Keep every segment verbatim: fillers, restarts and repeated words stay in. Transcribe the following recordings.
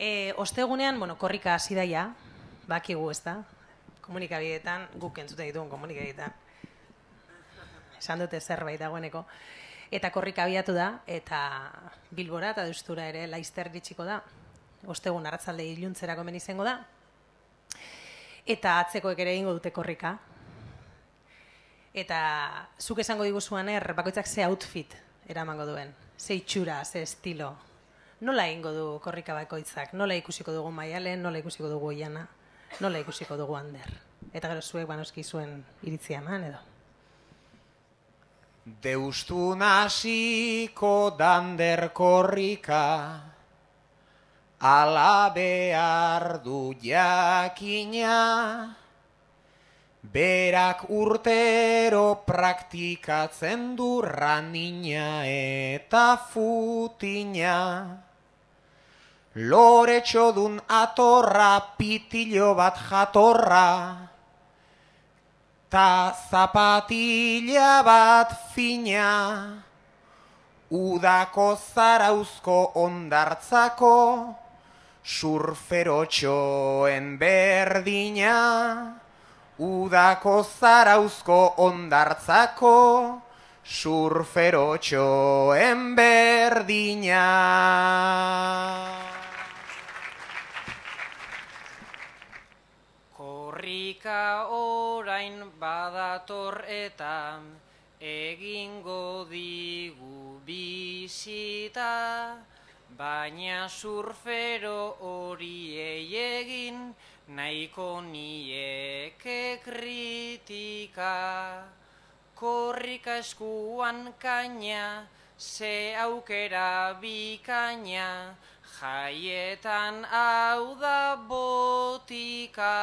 E, ostegunean, bueno, korrika hasi daia, bakigu ez da, komunikabideetan, guk entzuten ditugun komunikabideetan. Esan dute zerbait dagoeneko. Eta korrika abiatu da, eta Bilbora eta Deustura ere laizter ditxiko da. Ostegun arratzalde iluntzerako hemen izango da. Eta atzekoek ere egingo dute korrika. Eta zuk esango diguzuan er, bakoitzak ze outfit eramango duen. Ze itxura, ze estilo. Nola egingo du korrika bakoitzak? Nola ikusiko dugu Maialen, nola ikusiko dugu Oiana, nola ikusiko dugu Ander? Eta gero zuek banoski zuen iritzia eman edo. Deustun hasiko dander korrika, ala behar du jakina, berak urtero praktikatzen du ranina eta futina. Loretxodun atorra, pitilo bat jatorra, ta zapatila bat fina, udako zarauzko ondartzako, surferotxoen berdina, udako zarauzko ondartzako, surferotxoen berdina. Korrika orain badator eta egingo digu bisita, baina surfero horiei egin nahiko nieke kritika. Korrika eskuan kaina, ze aukera bikaina, jaietan hau da botika.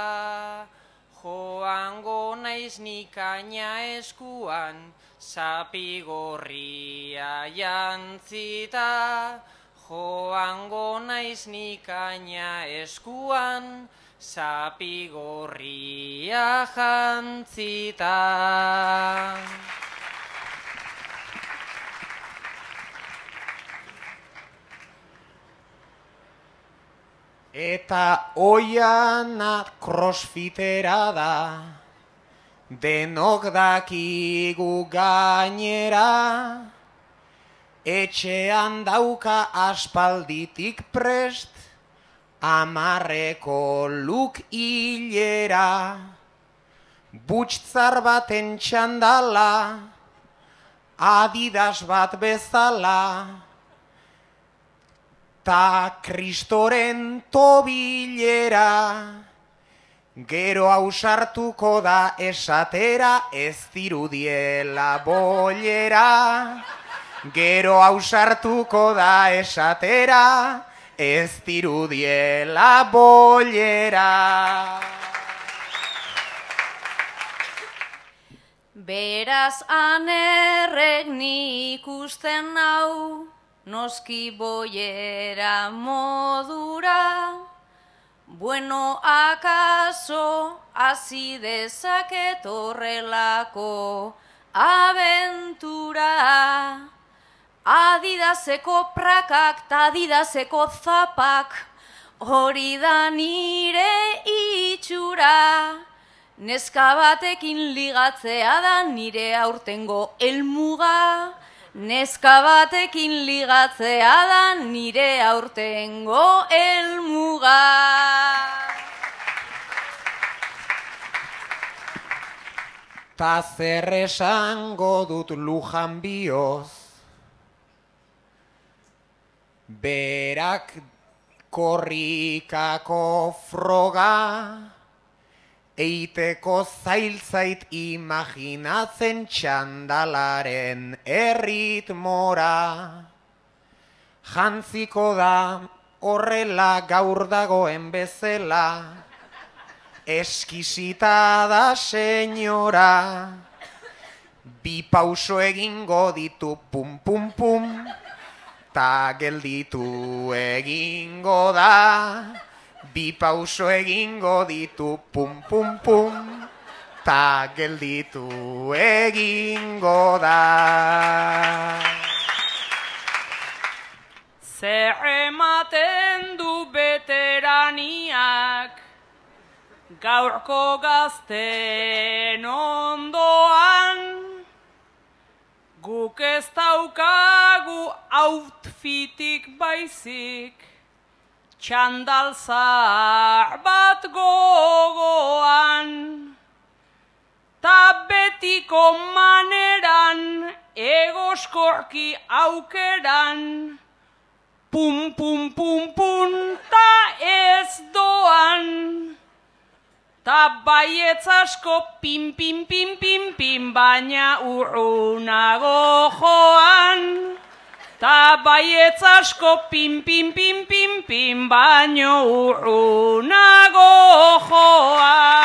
Joango naiz nikaina eskuan, zapigorria jantzita. Joango naiz nikaina eskuan, zapigorria jantzita. Eta Oiana crossfitera da, denok dakigu gainera, etxean dauka aspalditik prest, amarreko luk hilera, butxtzar baten txandala, Adidas bat bezala, ta kristoren tobilera, gero ausartuko da esatera, ez dirudiela bollera. Gero ausartuko da esatera, ez dirudiela bollera. Beraz anerrek nik ikusten hau, noski bollera modura, bueno, akaso hasi dezaket horrelako abentura. Adidaseko prakak ta Adidaseko zapak, hori da nire itxura. Neska batekin ligatzea da nire aurtengo helmuga. Neska batekin ligatzea da nire aurtengo helmuga. Ta zer esango dut Lujan bioz, berak korrikako froga, eiteko zailtzait imaginatzen txandalaren erritmora. Jantziko da horrela gaur dagoen bezala, eskisita da senyora. Bi pauso egingo ditu pum pum pum, ta gelditu egingo da. Bi pauso egingo ditu pum pum pum, ta gelditu egingo da. Zer ematen du bete gaurko gazten ondoan, guk ez daukagu outfitik baizik, txandal zahar bat gogoan, ta betiko maneran, egoskorki aukeran, pum pum pum pum, ta ez doan, ta baietz asko pim pim pim pim pim, baina urrunago joan, ta baietz asko pim pim pim pim pim, baina urrunago joan.